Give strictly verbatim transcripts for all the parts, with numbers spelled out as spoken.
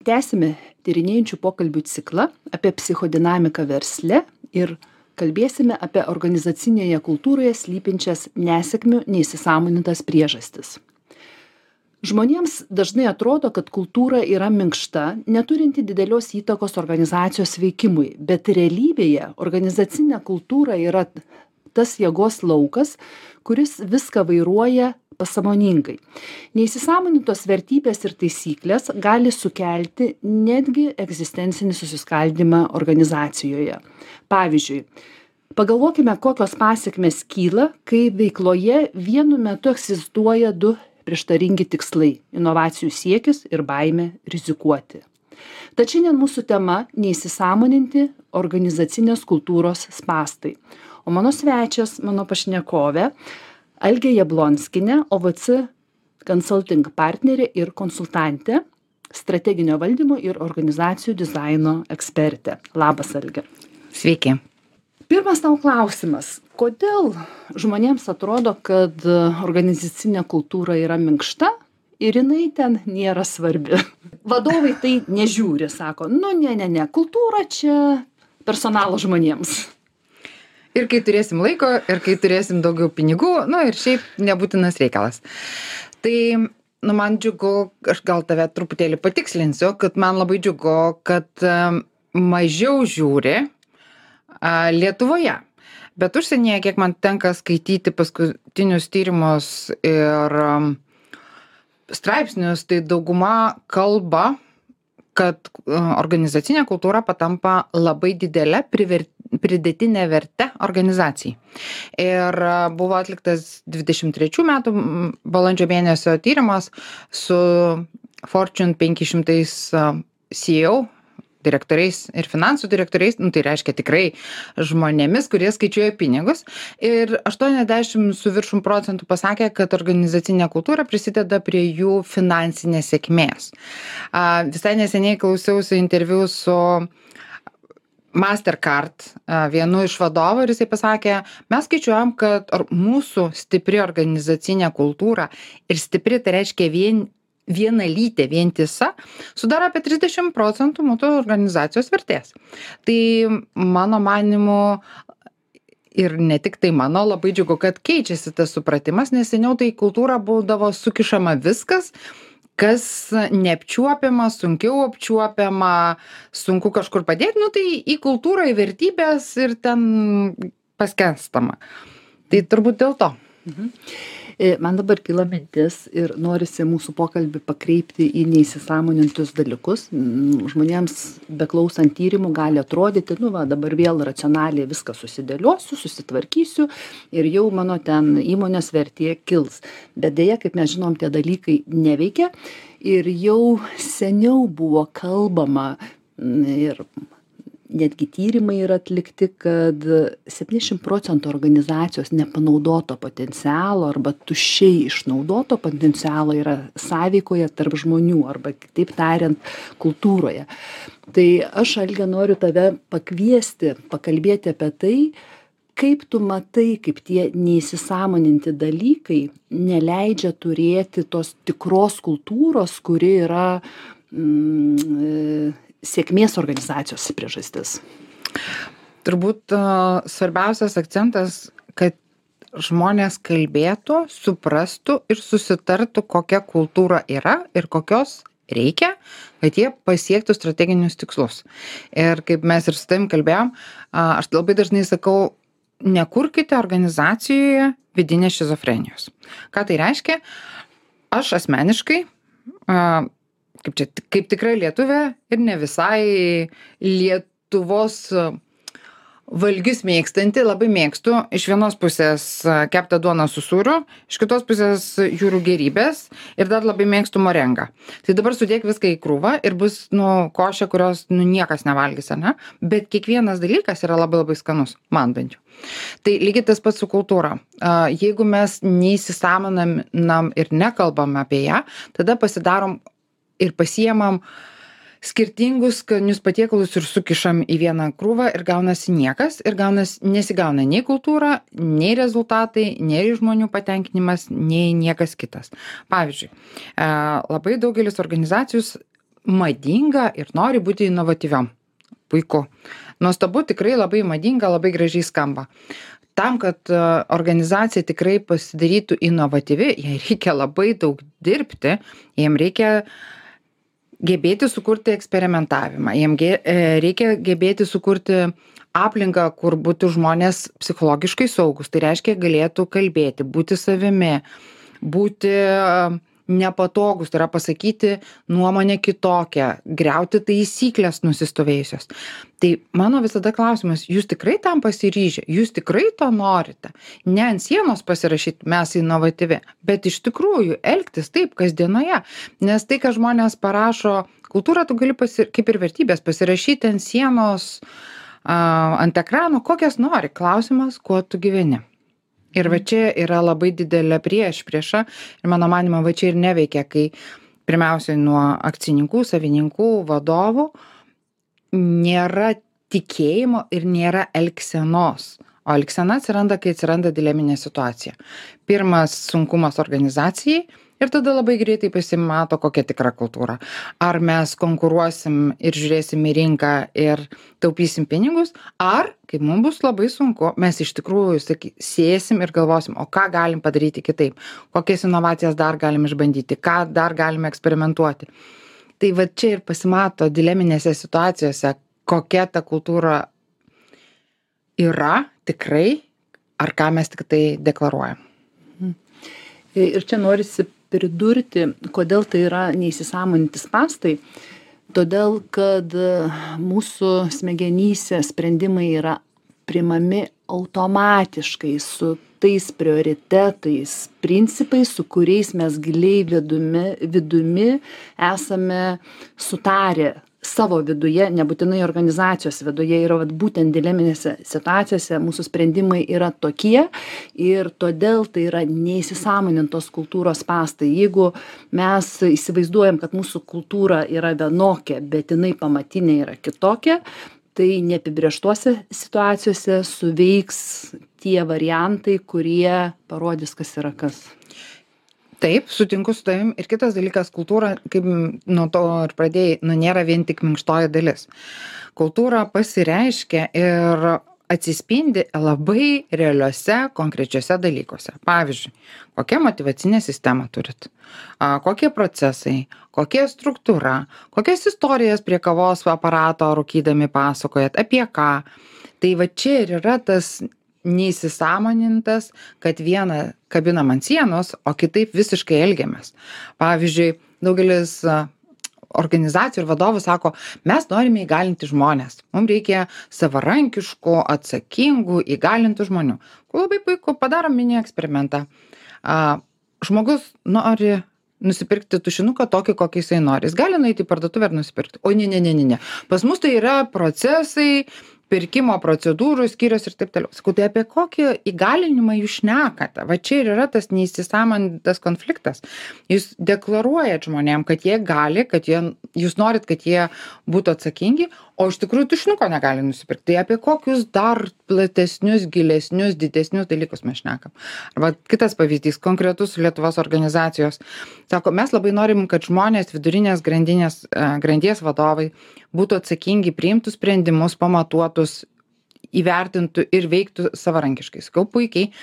Tęsime tyrinėjančių pokalbių ciklą apie psichodinamiką versle ir kalbėsime apie organizacinėje kultūroje slypinčias nesėkmių neįsisąmonintas priežastis. Žmonėms dažnai atrodo, kad kultūra yra minkšta, neturinti didelios įtakos organizacijos veikimui, bet realybėje organizacinė kultūra yra tas jėgos laukas, kuris viską vairuoja pasąmoningai. Neįsisąmonintos vertybės ir taisyklės gali sukelti netgi egzistencinį susiskaldymą organizacijoje. Pavyzdžiui, pagalvokime, kokios pasekmės kyla, kai veikloje vienu metu egzistuoja du prieštaringi tikslai - inovacijų siekis ir baimė rizikuoti. Tad šiandien mūsų tema - neįsisąmoninti organizacinės kultūros spąstai. O mano svečias, mano pašnekovė, Algė Jablonskienė, O V C Consulting partnerė ir konsultantė, strateginio valdymo ir organizacijų dizaino ekspertė. Labas, Algė. Sveiki. Pirmas tau klausimas. Kodėl žmonėms atrodo, kad organizacinė kultūra yra minkšta ir jinai ten nėra svarbi? Vadovai tai nežiūri, sako, nu ne, ne, ne, kultūra čia personalo žmonėms. Ir kai turėsim laiko, ir kai turėsim daugiau pinigų, nu ir šiaip nebūtinas reikalas. Tai, nu, man džiugu, aš gal tave truputėlį patikslinsiu, kad man labai džiugu, kad um, mažiau žiūri uh, Lietuvoje. Bet užsienyje, kiek man tenka skaityti paskutinius tyrimus ir um, straipsnius, tai dauguma kalba, kad uh, organizacinė kultūra patampa labai didelė priver, pridėtinė verte organizacijai. Ir uh, buvo atliktas dvidešimt trečių metų balandžio mėnesio tyrimas su Fortune penki šimtai uh, C E O direktoriais ir finansų direktoriais, nu, tai reiškia tikrai žmonėmis, kurie skaičiuoja pinigus. Ir aštuoniasdešimt su viršum procentų pasakė, kad organizacinė kultūra prisideda prie jų finansinės sėkmės. A, visai neseniai klausiausi interviu su Mastercard, a, vienu iš vadovų, ir jisai pasakė, mes skaičiuojam, kad mūsų stipri organizacinė kultūra ir stipri, tai reiškia vien vienalytė, vientisa, sudaro apie trisdešimt procentų mūsų organizacijos vertės. Tai mano manimu, ir ne tik tai mano, labai džiugu, kad keičiasi tas supratimas, nes seniau tai kultūra būdavo sukišama viskas, kas neapčiuopiama, sunkiau apčiuopiama, sunku kažkur padėti, nu tai į kultūrą, į vertybės ir ten paskęstama. Tai turbūt dėl to. Mhm. Man dabar kyla mintis ir norisi mūsų pokalbį pakreipti į neįsisąmonintus dalykus. Žmonėms beklausant tyrimų gali atrodyti, nu va, dabar vėl racionaliai viską susidėliosiu, susitvarkysiu ir jau mano ten įmonės vertė kils. Bet dėja, kaip mes žinom, tie dalykai neveikia ir jau seniau buvo kalbama ir netgi tyrimai yra atlikti, kad septyniasdešimt procentų organizacijos nepanaudoto potencialo arba tuščiai išnaudoto potencialo yra sąveikoje tarp žmonių arba, kitaip tariant, kultūroje. Tai aš, Algė, noriu tave pakviesti, pakalbėti apie tai, kaip tu matai, kaip tie neįsisąmoninti dalykai neleidžia turėti tos tikros kultūros, kuri yra mm, sėkmės organizacijos priežastis. Turbūt uh, svarbiausias akcentas, kad žmonės kalbėtų, suprastų ir susitartų, kokia kultūra yra ir kokios reikia, kad jie pasiektų strateginius tikslus. Ir kaip mes ir su tavim kalbėjom, uh, aš labai dažnai sakau, nekurkite organizacijoje vidinės šizofrenijos. Ką tai reiškia? Aš asmeniškai uh, kaip čia, kaip tikra lietuvė ir ne visai Lietuvos valgius mėgstanti, labai mėgstu iš vienos pusės keptą duoną su sūriu, iš kitos pusės jūrų gėrybės ir dar labai mėgstu morengą. Tai dabar sudėk viską į krūvą ir bus, nu, košė, kurios, nu, niekas nevalgys, ar ne? Bet kiekvienas dalykas yra labai labai skanus, man bent jau. Tai lygiai tas pats su kultūra. Jeigu mes neįsisąmoninam ir nekalbam apie ją, tada pasidarom ir pasiemam skirtingus skanius patiekalus ir sukišam į vieną krūvą ir gaunasi niekas ir gaunas, nesigauna nei kultūra, nei rezultatai, nei žmonių patenkinimas, nei niekas kitas. Pavyzdžiui, labai daugelis organizacijų madinga ir nori būti inovatyviom. Puiku. Nuostabu, tikrai labai madinga, labai gražiai skamba. Tam, kad organizacija tikrai pasidarytų inovatyvi, jai reikia labai daug dirbti, jiem reikia gebėti sukurti eksperimentavimą, jiem ge, reikia gebėti sukurti aplinką, kur būtų žmonės psichologiškai saugus. Tai reiškia, galėtų kalbėti, būti savimi, būti nepatogus, tai yra pasakyti nuomonę kitokią, griauti taisyklės nusistovėjusios. Tai mano visada klausimas, jūs tikrai tam pasiryžę, jūs tikrai to norite? Ne ant sienos pasirašyti, mes inovatyvi, bet iš tikrųjų elgtis taip kasdienoje. Nes tai, ką žmonės parašo, kultūrą tu gali, pasir... kaip ir vertybės, pasirašyti ant sienos, uh, ant ekrano, kokias nori. Klausimas, kuo tu gyveni. Ir va čia yra labai didelė priešprieša ir mano manymu va čia ir neveikia, kai pirmiausiai nuo akcininkų, savininkų, vadovų nėra tikėjimo ir nėra elgsenos. O elgsena atsiranda, kai atsiranda dileminė situacija. Pirmas sunkumas organizacijai ir tada labai greitai pasimato, kokia tikra kultūra. Ar mes konkuruosim ir žiūrėsim į rinką ir taupysim pinigus, ar, kai mums bus labai sunku, mes iš tikrųjų saky, sėsim ir galvosim, o ką galim padaryti kitaip, kokias inovacijas dar galim išbandyti, ką dar galime eksperimentuoti. Tai va čia ir pasimato dileminėse situacijose, kokia ta kultūra yra tikrai, ar ką mes tik tai deklaruojam. Ir čia norisi pridurti, kodėl tai yra neįsisąmoninti spąstai. Todėl, kad mūsų smegenyse sprendimai yra priimami automatiškai su tais prioritetais, principais, su kuriais mes giliai vidumi, vidumi esame sutarę savo viduje, nebūtinai organizacijos viduje, yra vat, būtent dileminėse situacijose mūsų sprendimai yra tokie ir todėl tai yra neįsisąmonintos kultūros spąstai. Jeigu mes įsivaizduojam, kad mūsų kultūra yra vienokia, bet jinai pamatinė yra kitokia, tai neapibrėžtose situacijose suveiks tie variantai, kurie parodys, kas yra kas. Taip, sutinku su tavim. Ir kitas dalykas, kultūra, kaip nuo to ir pradėjai, nu, nėra vien tik minkštoji dalis. Kultūra pasireiškia ir atsispindi labai realiuose, konkrečiuose dalykuose. Pavyzdžiui, kokia motyvacinė sistema turit, a, kokie procesai, kokia struktūra, kokias istorijas prie kavos aparato rūkydami pasakojat, apie ką. Tai va čia ir yra tas neįsisąmonintas, kad vieną kabinam ant sienos, o kitaip visiškai elgiamės. Pavyzdžiui, daugelis organizacijų ir vadovų sako, mes norime įgalinti žmonės. Mums reikia savarankiškų, atsakingų, įgalintų žmonių. Labai puiku, padarom mini eksperimentą. A, žmogus nori nusipirkti tušinuką tokį, kokį jisai nori. Jis gali nueiti į parduotuvę ir nusipirkti. O ne, ne, ne, ne, ne. Pas mus tai yra procesai, pirkimo procedūrų skyrius ir taip toliau. Sakau, tai apie kokį įgalinimą jūs šnekate? Va čia ir yra tas neįsisąmonintas konfliktas. Jūs deklaruojat žmonėm, kad jie gali, kad jie, jūs norit, kad jie būtų atsakingi, o iš tikrųjų tušinuko negali nusipirkti. Tai apie kokius dar platesnius, gilesnius, didesnius dalykus mes šnekam. Arba kitas pavyzdys, konkretus Lietuvos organizacijos. Sako, mes labai norim, kad žmonės vidurinės grandinės, grandies vadovai būtų atsakingi, priimtų sprendimus, pamatuotus, įvertintų ir veiktų savarankiškai. Sakau, puikiai.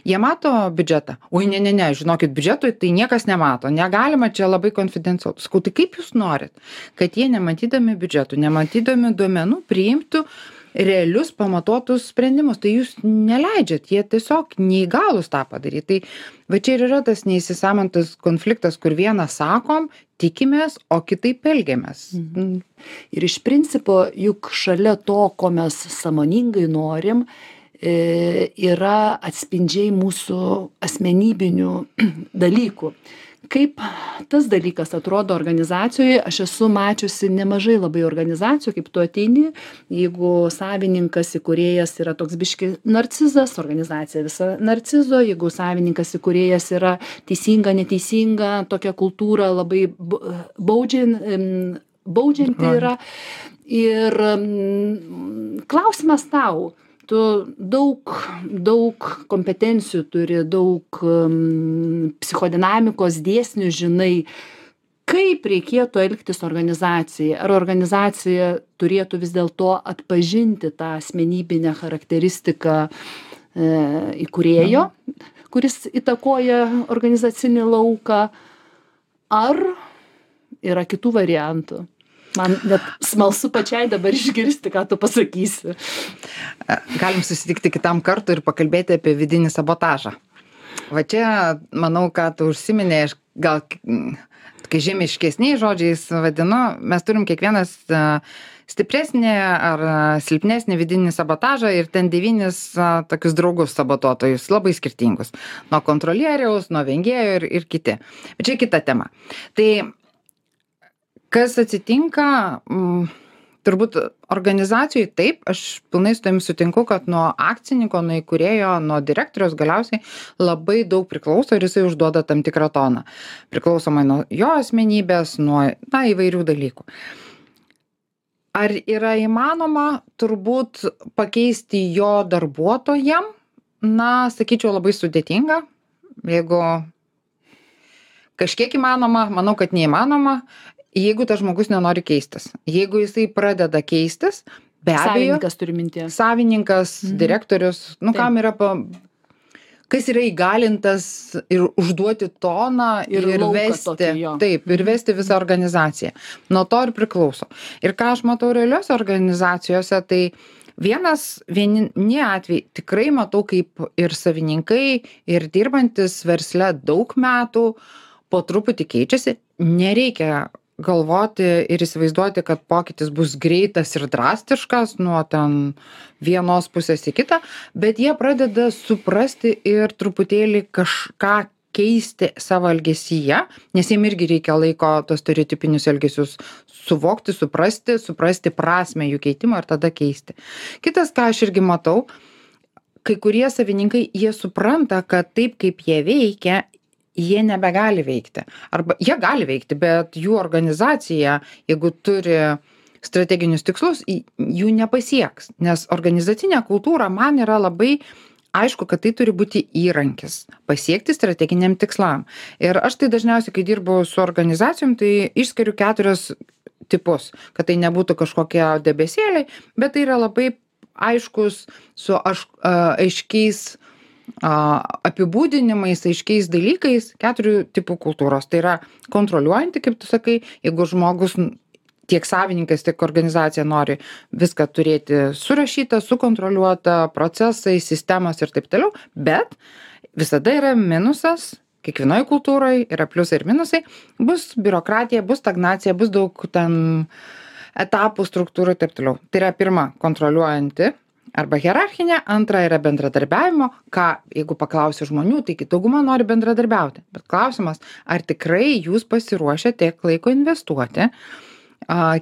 Jie mato biudžetą. Oi, ne, ne, ne, žinokit, biudžetui tai niekas nemato. Negalima, čia labai konfidencialu. Sakau, tai kaip jūs norit, kad jie nematydami biudžetų, nematydami duomenų priimtų realius pamatuotus sprendimus? Tai jūs neleidžiat, jie tiesiog neįgalūs tą padaryti. Tai va čia ir yra tas neįsisąmonintas konfliktas, kur vieną sakom, tikimės, o kitaip elgiamės. Mhm. Ir iš principo, juk šalia to, ko mes sąmoningai norim, yra atspindžiai mūsų asmenybinių dalykų. Kaip tas dalykas atrodo organizacijoje, aš esu mačiusi nemažai labai organizacijų, kaip tu ateini, jeigu savininkas įkūrėjas yra toks biški narcizas, organizacija visa narcizo, jeigu savininkas įkūrėjas yra teisinga, neteisinga, tokia kultūra labai baudžian, baudžianti yra. Ir klausimas tau, tu daug, daug kompetencijų turi, daug um, psichodinamikos dėsnių žinai. kaip reikėtų elgtis organizacijai? Ar organizacija turėtų vis dėlto atpažinti tą asmenybinę charakteristiką e, įkūrėjo, kuris įtakoja organizacinį lauką, ar yra kitų variantų? Man net smalsu pačiai dabar išgirsti, ką tu pasakysi. Galim susitikti kitam kartui ir pakalbėti apie vidinį sabotažą. Va čia, manau, ką tu užsiminė, aš gal kai žemiškesniais žodžiais vadinu, mes turim kiekvienas stipresnį ar silpnesnį vidinį sabotažą ir ten devynis tokius draugus sabotuotojus, labai skirtingus. Nuo kontrolieriaus, nuo vengėjo ir, ir kiti. Bet čia kita tema. Tai kas atsitinka, m, turbūt organizacijai taip, aš pilnai su tavim sutinku, kad nuo akcininko, nuo įkūrėjo, nuo direktoriaus galiausiai labai daug priklauso ir jisai užduoda tam tikrą toną. Priklausomai nuo jo asmenybės, nuo na, įvairių dalykų. Ar yra įmanoma turbūt pakeisti jo darbuotojam? Na, sakyčiau, labai sudėtinga. Jeigu kažkiek įmanoma, manau, kad neįmanoma. Jeigu tas žmogus nenori keistis, jeigu jisai pradeda keistis, be abejo. Savininkas turi minties. Savininkas, mhm. direktorius, nu Taip. Kam yra, pa, kas yra įgalintas ir užduoti toną ir, ir vesti, tokį, taip, ir vesti visą organizaciją. Nuo to ir priklauso. Ir ką aš matau realiuose organizacijose, tai vienas, vieni atvejai tikrai matau, kaip ir savininkai, ir dirbantis versle daug metų, po truputį keičiasi, nereikia galvoti ir įsivaizduoti, kad pokytis bus greitas ir drastiškas nuo ten vienos pusės į kitą, bet jie pradeda suprasti ir truputėlį kažką keisti savo elgesyje, nes jiem irgi reikia laiko tos stereotipinius elgesius suvokti, suprasti, suprasti prasmę jų keitimo ir tada keisti. Kitas, ką aš irgi matau, kai kurie savininkai, jie supranta, kad taip kaip jie veikia, jie nebegali veikti. Arba jie gali veikti, bet jų organizacija, jeigu turi strateginius tikslus, jų nepasieks. Nes organizacinė kultūra man yra labai aišku, kad tai turi būti įrankis pasiekti strateginiam tikslam. Ir aš tai dažniausiai, kai dirbu su organizacijom, tai išskiriu keturios tipus, kad tai nebūtų kažkokie debesėliai, bet tai yra labai aiškus su aš, a, aiškiais apibūdinimais, aiškiais dalykais keturių tipų kultūros. Tai yra kontroliuojanti, kaip tu sakai, jeigu žmogus tiek savininkas, tiek organizacija nori viską turėti surašytą, sukontroliuotą, procesai, sistemas ir taip toliau, bet visada yra minusas, kiekvienoje kultūroje yra pliusai ir minusai, bus biurokratija, bus stagnacija, bus daug ten etapų, struktūrų ir taip toliau. Tai yra pirma, kontroliuojanti arba hierarchinė, antra yra bendradarbiavimo, ką, jeigu paklausiu žmonių, tai dauguma nori bendradarbiauti. Bet klausimas, ar tikrai jūs pasiruošę tiek laiko investuoti,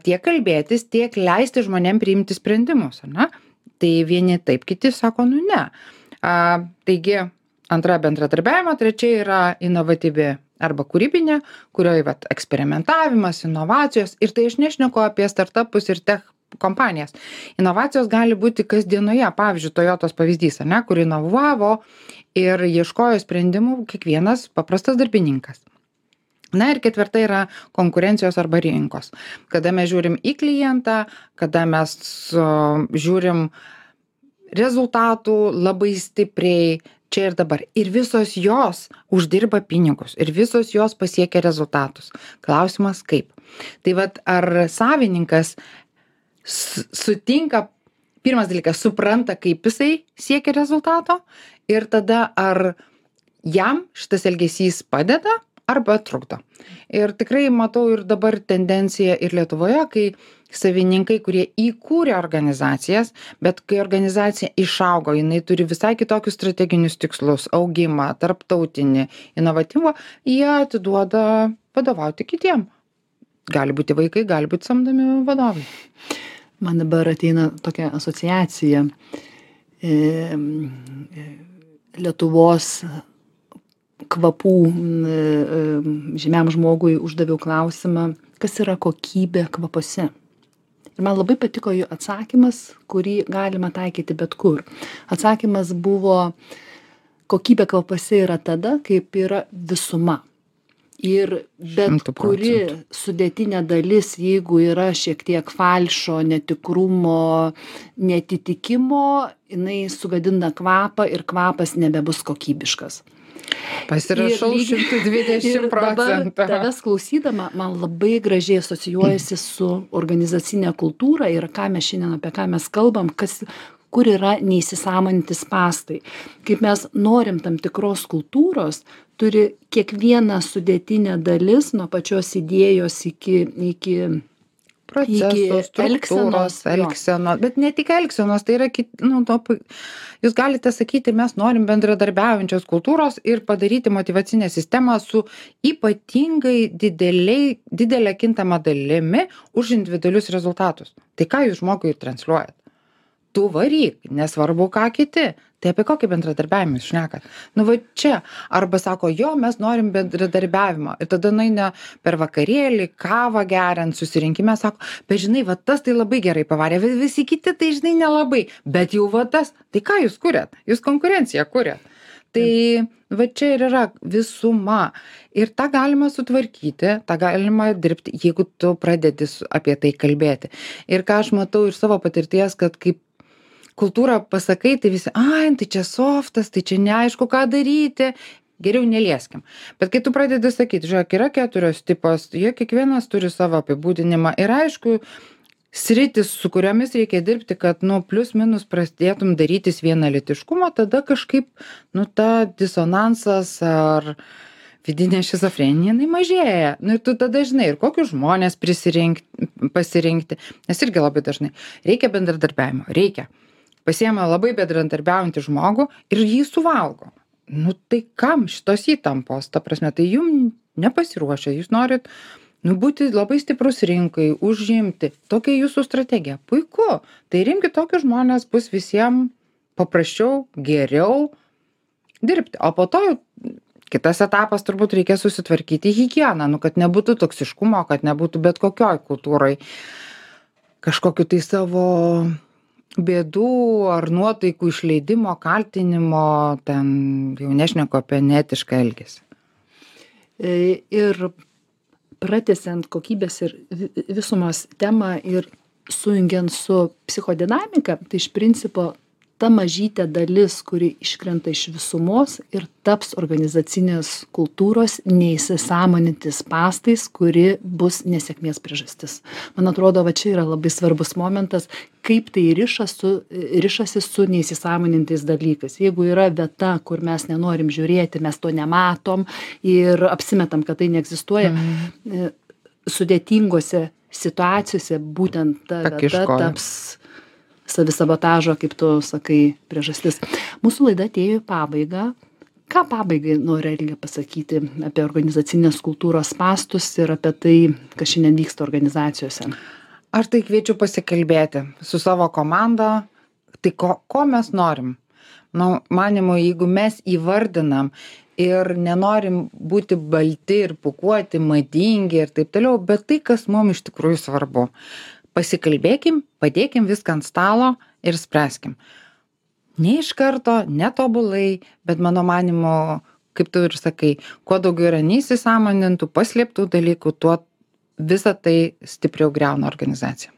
tiek kalbėtis, tiek leisti žmonėm priimti sprendimus, ar ne? Tai vieni taip, kiti sako, nu ne. A, taigi, antra bendradarbiavimo, trečia yra inovatyvi arba kūrybinė, kurioje vat, eksperimentavimas, inovacijos, ir tai aš nešneku apie startupus ir tech kompanijas. Inovacijos gali būti kasdienoje, pavyzdžiui, Toyotos pavyzdys, ne, kur inovavo ir ieškojo sprendimų kiekvienas paprastas darbininkas. Na ir ketvirta yra konkurencijos arba rinkos. Kada mes žiūrim į klientą, kada mes uh, žiūrim rezultatų labai stipriai čia ir dabar. Ir visos jos uždirba pinigus, ir visos jos pasiekia rezultatus. Klausimas kaip. Tai vat, ar savininkas sutinka, pirmas dalykas, supranta, kaip jisai siekia rezultato ir tada ar jam šitas elgesys padeda arba trukdo. Ir tikrai matau ir dabar tendenciją ir Lietuvoje, kai savininkai, kurie įkūrė organizacijas, bet kai organizacija išaugo, jinai turi visai kitokius strateginius tikslus, augimą, tarptautinį, inovatyvą, jie atiduoda vadovauti kitiem. Gali būti vaikai, gali būti samdomi vadovai. Man dabar ateina tokia asociacija. E, Lietuvos kvapų e, žymiam žmogui uždaviau klausimą, kas yra kokybė kvapuose. Ir man labai patiko jų atsakymas, kurį galima taikyti bet kur. Atsakymas buvo, kokybė kvapuose yra tada, kaip yra visuma. Ir bet Šimtu kuri procentų. sudėtinė dalis, jeigu yra šiek tiek falšo, netikrumo, netitikimo, jinai sugadina kvapą ir kvapas nebebus kokybiškas. Pasirašau Ir lygiai- šimtu dvidešimt Ir dabar procentų. tavęs klausydama, man labai gražiai asocijuojasi su organizacinė kultūra ir ką mes šiandien apie ką mes kalbam, kas, kur yra neįsisąmoninti spąstai. Kaip mes norim tam tikros kultūros, turi kiekviena sudėtinė dalis nuo pačios idėjos iki, iki Procesus, elgsenos, struktūros, jo. elgsenos, bet ne tik elgsenos, tai yra, kit, nu, to, pu- jūs galite sakyti, mes norim bendradarbiaujančios kultūros ir padaryti motyvacinę sistemą su ypatingai dideliai, didelė kintama dalimi už individualius rezultatus. Tai ką jūs žmogui transliuojat? Tu varyk, nesvarbu ką kiti. Tai apie kokį bendradarbiavimą jūs šnekat? Nu va čia. Arba sako, jo, mes norim bendradarbiavimo. Ir tada nueina per vakarėlį, kavą geriant, susirinkime, sako, bet žinai, va tas tai labai gerai pavarė, vi- visi kiti tai žinai nelabai. Bet jau va tas, tai ką jūs kuriat? Jūs konkurenciją kuriat. Tai va čia ir yra visuma. Ir tą galima sutvarkyti, tą galima dirbti, jeigu tu pradedi su- apie tai kalbėti. Ir ką aš matau iš savo patirties, kad kaip kultūrą pasakai, tai visi, ai, tai čia softas, tai čia neaišku, ką daryti, geriau nelieskim. Bet kai tu pradedi sakyti, žiūrėk, yra keturios tipos, jie kiekvienas turi savo apibūdinimą ir aišku, sritis, su kuriomis reikia dirbti, kad, nu, plius minus prasidėtum darytis vienalytiškumo, tada kažkaip, nu, ta disonansas ar vidinė šizofrenija, jinai mažėja. Nu, ir tu tada žinai, ir kokius žmonės prisirinkti, pasirinkti, nes irgi labai dažnai reikia bendradarbiavimo, reikia. Pasiema labai bendradarbiaujantį žmogų ir jį suvalgo. Nu, tai kam šitos įtampos, ta prasme, tai jum nepasiruošia, jūs norit, nu, būti labai stiprus rinkai, užimti. Tokia jūsų strategija. Puiku. Tai rimkit tokius žmonės, bus visiems paprasčiau, geriau dirbti. O po to jau kitas etapas turbūt reikia susitvarkyti higieną, nu, kad nebūtų toksiškumo, kad nebūtų bet kokioj kultūroj kažkokiu tai savo bėdų ar nuotaikų išleidimo, kaltinimo, ten jau nešneku apie neetišką elgesį. E, Ir pratęsiant kokybės ir vi- visumos temą ir sujungiant su psichodinamika, tai iš principo ta mažytė dalis, kuri iškrenta iš visumos ir taps organizacinės kultūros neįsisąmonintis spąstais, kuri bus nesėkmės priežastis. Man atrodo, va čia yra labai svarbus momentas, kaip tai riša su, rišasi su neįsisąmonintais dalykais. Jeigu yra vieta, kur mes nenorim žiūrėti, mes to nematom ir apsimetam, kad tai neegzistuoja, e, sudėtingose situacijose būtent ta vieta Pakiškoja. taps savisabotažo, kaip tu sakai, priežastis. Mūsų laida atėjo į pabaigą. Ką pabaigai nori Elge pasakyti apie organizacinės kultūros spąstus ir apie tai, kas šiandien vyksta organizacijose? Aš tai kviečiu pasikalbėti su savo komanda, tai ko, ko mes norim. Nu, manimo, jeigu mes įvardinam ir nenorim būti balti ir pūkuoti, madingi ir taip toliau, bet tai, kas mums iš tikrųjų svarbu. Pasikalbėkim, padėkim viską ant stalo ir spręskim. Ne iš karto, netobulai, bet mano manimo, kaip tu ir sakai, kuo daugiau yra neįsisąmonintų, paslėptų dalykų, tuo visą tai stipriau greuna organizaciją.